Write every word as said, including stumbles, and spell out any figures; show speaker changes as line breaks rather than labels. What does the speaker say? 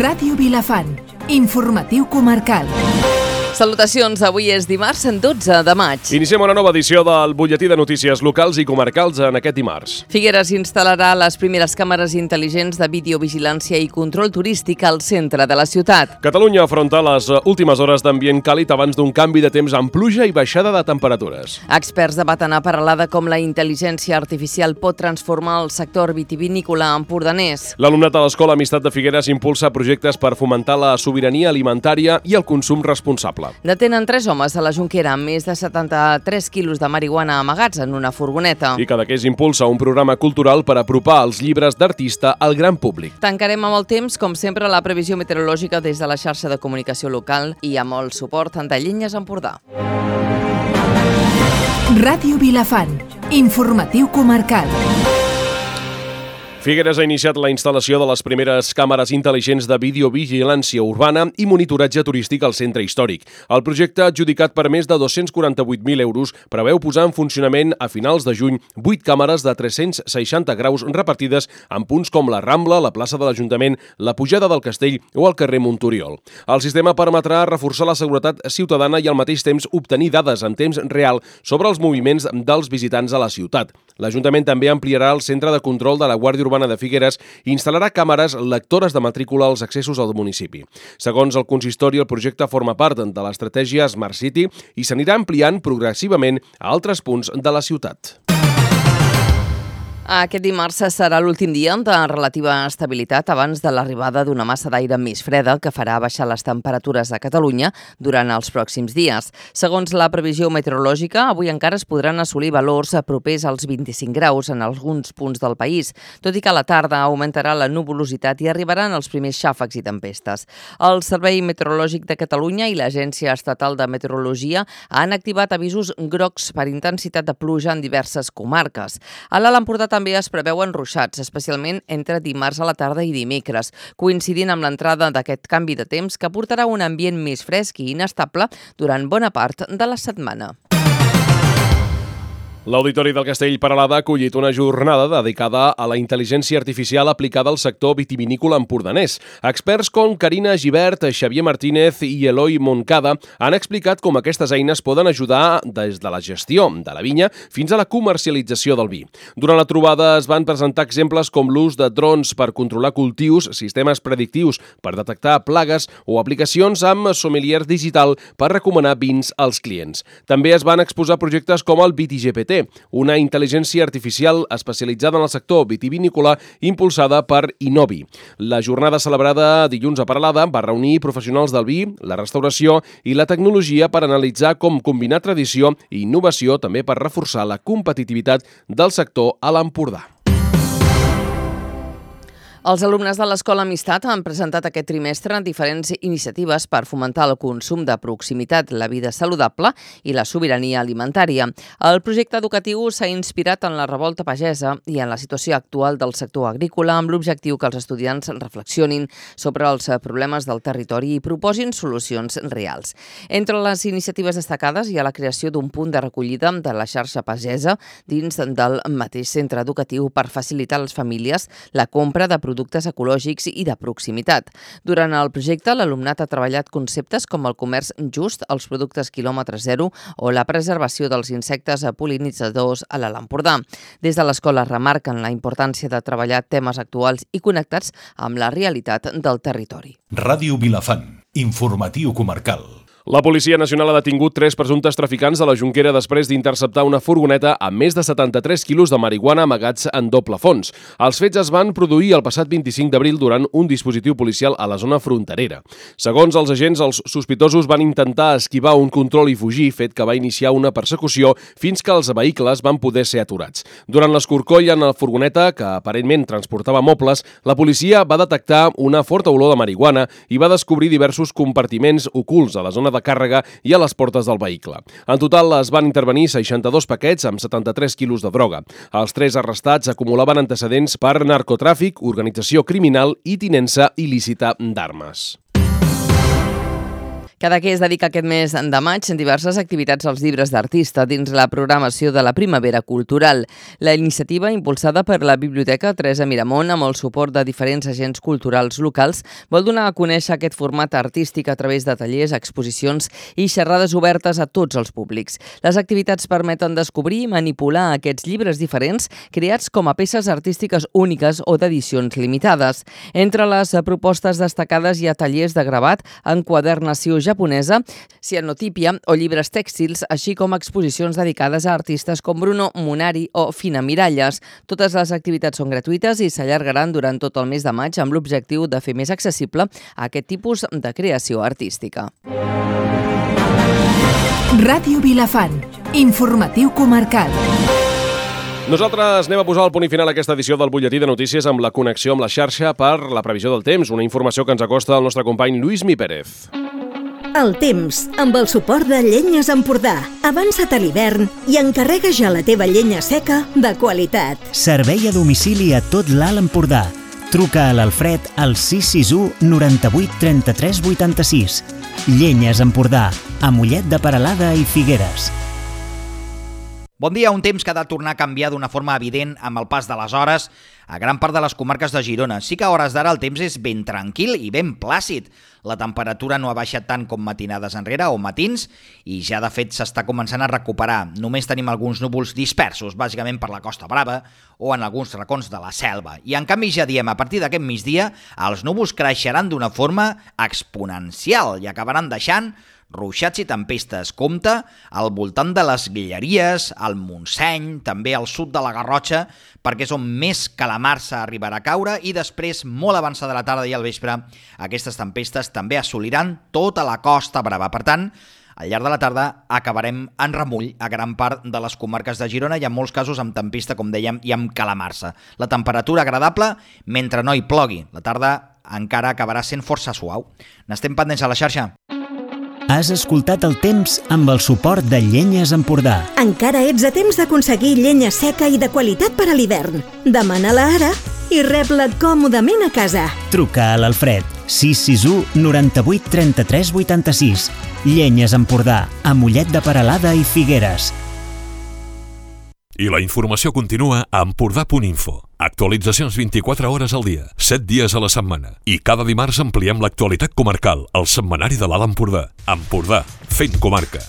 Ràdio Vilafant, informatiu comarcal. Salutacions, avui és dimarts, dotze de maig.
Iniciem una nova edició del butlletí de notícies locals i comarcals en aquest dimarts.
Figueres instal·larà les primeres càmeres intel·ligents de videovigilància i control turístic al centre de la ciutat.
Catalunya afronta les últimes hores d'ambient càlid abans d'un canvi de temps amb pluja i baixada de temperatures.
Experts debaten a Peralada com la intel·ligència artificial pot transformar el sector vitivinícola empordanès.
L'alumnat de l'Escola Amistat de Figueres impulsa projectes per fomentar la sobirania alimentària i el consum responsable.
Detenen tres homes a la Jonquera amb més de setanta-tres quilos de marihuana amagats en una furgoneta.
I Cadaqués impulsa un programa cultural per apropar els llibres d'artista al gran públic.
Tancarem amb el temps, com sempre, la previsió meteorològica des de la xarxa de comunicació local i amb el suport de Llenyes Empordà. Ràdio Vilafant, informatiu comarcal.
Figueres ha iniciat la instal·lació de les primeres càmeres intel·ligents de videovigilància urbana i monitoratge turístic al centre històric. El projecte, adjudicat per més de dos-cents quaranta-vuit mil euros, preveu posar en funcionament a finals de juny vuit càmeres de tres-cents seixanta graus repartides en punts com la Rambla, la plaça de l'Ajuntament, la pujada del Castell o el carrer Montoriol. El sistema permetrà reforçar la seguretat ciutadana i al mateix temps obtenir dades en temps real sobre els moviments dels visitants a la ciutat. L'Ajuntament també ampliarà el centre de control de la Guàrdia Urbana de Figueres i instal·larà càmeres lectores de matrícula als accessos al municipi. Segons el consistori, el projecte forma part de l'estratègia Smart City i s'anirà ampliant progressivament a altres punts de la ciutat.
Aquest dimarts serà l'últim dia de relativa estabilitat abans de l'arribada d'una massa d'aire més freda que farà baixar les temperatures a Catalunya durant els pròxims dies. Segons la previsió meteorològica, avui encara es podran assolir valors propers als vint-i-cinc graus en alguns punts del país, tot i que a la tarda augmentarà la nuvolositat i arribaran els primers xàfecs i tempestes. El Servei Meteorològic de Catalunya i l'Agència Estatal de Meteorologia han activat avisos grocs per intensitat de pluja en diverses comarques. A l'Alt Empordà també es preveuen ruixats, especialment entre dimarts a la tarda i dimecres, coincidint amb l'entrada d'aquest canvi de temps que portarà un ambient més fresc i inestable durant bona part de la setmana.
L'Auditori del Castell Peralada ha acollit una jornada dedicada a la intel·ligència artificial aplicada al sector vitivinícola empordanès. Experts com Carina Gibert, Xavier Martínez i Eloi Moncada han explicat com aquestes eines poden ajudar des de la gestió de la vinya fins a la comercialització del vi. Durant la trobada es van presentar exemples com l'ús de drons per controlar cultius, sistemes predictius per detectar plagues o aplicacions amb sommelier digital per recomanar vins als clients. També es van exposar projectes com el VitiGPT, una intel·ligència artificial especialitzada en el sector vitivinícola impulsada per Innovi. La jornada celebrada dilluns a Peralada va reunir professionals del vi, la restauració i la tecnologia per analitzar com combinar tradició i innovació també per reforçar la competitivitat del sector a l'Empordà.
Els alumnes de l'Escola Amistat han presentat aquest trimestre diferents iniciatives per fomentar el consum de proximitat, la vida saludable i la sobirania alimentària. El projecte educatiu s'ha inspirat en la revolta pagesa i en la situació actual del sector agrícola amb l'objectiu que els estudiants reflexionin sobre els problemes del territori i proposin solucions reals. Entre les iniciatives destacades hi ha la creació d'un punt de recollida de la xarxa pagesa dins del mateix centre educatiu per facilitar a les famílies la compra de productes ecològics i de proximitat. Durant el projecte, l'alumnat ha treballat conceptes com el comerç just, els productes quilòmetre zero o la preservació dels insectes pol·linitzadors a l'Alt Empordà. Des de l'escola remarquen la importància de treballar temes actuals i connectats amb la realitat del territori.
Ràdio Vilafant, informatiu comarcal.
La Policia Nacional ha detingut tres presumptes traficants a la Jonquera després d'interceptar una furgoneta amb més de setanta-tres quilos de marihuana amagats en doble fons. Els fets es van produir el passat vint-i-cinc d'abril durant un dispositiu policial a la zona fronterera. Segons els agents, els sospitosos van intentar esquivar un control i fugir, fet que va iniciar una persecució fins que els vehicles van poder ser aturats. Durant l'escorcoll en la furgoneta, que aparentment transportava mobles, la policia va detectar una forta olor de marihuana i va descobrir diversos compartiments ocults a la zona de càrrega i a les portes del vehicle. En total es van intervenir seixanta-dos paquets amb setanta-tres quilos de droga. Els tres arrestats acumulaven antecedents per narcotràfic, organització criminal i tinença il·lícita d'armes.
Cadaqués dedica aquest mes de maig en diverses activitats als llibres d'artista dins la programació de la Primavera Cultural. La iniciativa, impulsada per la Biblioteca Teresa Miramont amb el suport de diferents agents culturals locals, vol donar a conèixer aquest format artístic a través de tallers, exposicions i xerrades obertes a tots els públics. Les activitats permeten descobrir i manipular aquests llibres diferents creats com a peces artístiques úniques o d'edicions limitades. Entre les propostes destacades hi ha tallers de gravat, enquadernació japonesa, cianotípia o llibres tèxtils, així com exposicions dedicades a artistes com Bruno Munari o Fina Miralles. Totes les activitats són gratuïtes i s'allargaran durant tot el mes de maig amb l'objectiu de fer més accessible aquest tipus de creació artística.
Ràdio Vilafant, informatiu comarcal.
Nosaltres anem a posar el punt i final a aquesta edició del Butlletí de Notícies amb la connexió amb la xarxa per la previsió del temps, una informació que ens acosta el nostre company Lluís Mi Pérez.
El temps, amb el suport de Llenyes Empordà. Avança't a l'hivern i encarrega ja la teva llenya seca de qualitat.
Servei a domicili a tot l'Alt Empordà. Truca a l'Alfred al sis sis u noranta-vuit trenta-tres vuitanta-sis. Llenyes Empordà, a Mollet de Peralada i Figueres.
Bon dia, un temps que ha de tornar a canviar d'una forma evident amb el pas de les hores a gran part de les comarques de Girona. Sí que a hores d'ara el temps és ben tranquil i ben plàcid. La temperatura no ha baixat tant com matinades enrere o matins i ja de fet s'està començant a recuperar. Només tenim alguns núvols dispersos, bàsicament per la Costa Brava o en alguns racons de la selva. I en canvi ja diem, a partir d'aquest migdia, els núvols creixeran d'una forma exponencial i acabaran deixant ruixats i tempestes. Compte al voltant de les Guilleries, al Montseny, també al sud de la Garrotxa, perquè és on més calamarsa arribarà a caure i després, molt avançada la tarda i al vespre, aquestes tempestes també assoliran tota la Costa Brava. Per tant, al llarg de la tarda acabarem en remull a gran part de les comarques de Girona i en molts casos amb tempesta, com dèiem, i amb calamarsa. La temperatura agradable mentre no hi plogui. La tarda encara acabarà sent força suau. N'estem pendents a la xarxa.
Has escoltat el temps amb el suport de Llenyes Empordà.
Encara ets a temps d'aconseguir llenya seca i de qualitat per a l'hivern. Demana-la ara i rep-la còmodament a casa.
Truca a l'Alfred sis sis u noranta-vuit trenta-tres vuitanta-sis. Llenyes Empordà, a Mollet de Peralada i Figueres.
I la informació continua a empordà punt info. Actualitzacions vint-i-quatre hores al dia, set dies a la setmana. I cada dimarts ampliem l'actualitat comarcal, al setmanari de l'Alt Empordà. Empordà, fent comarca.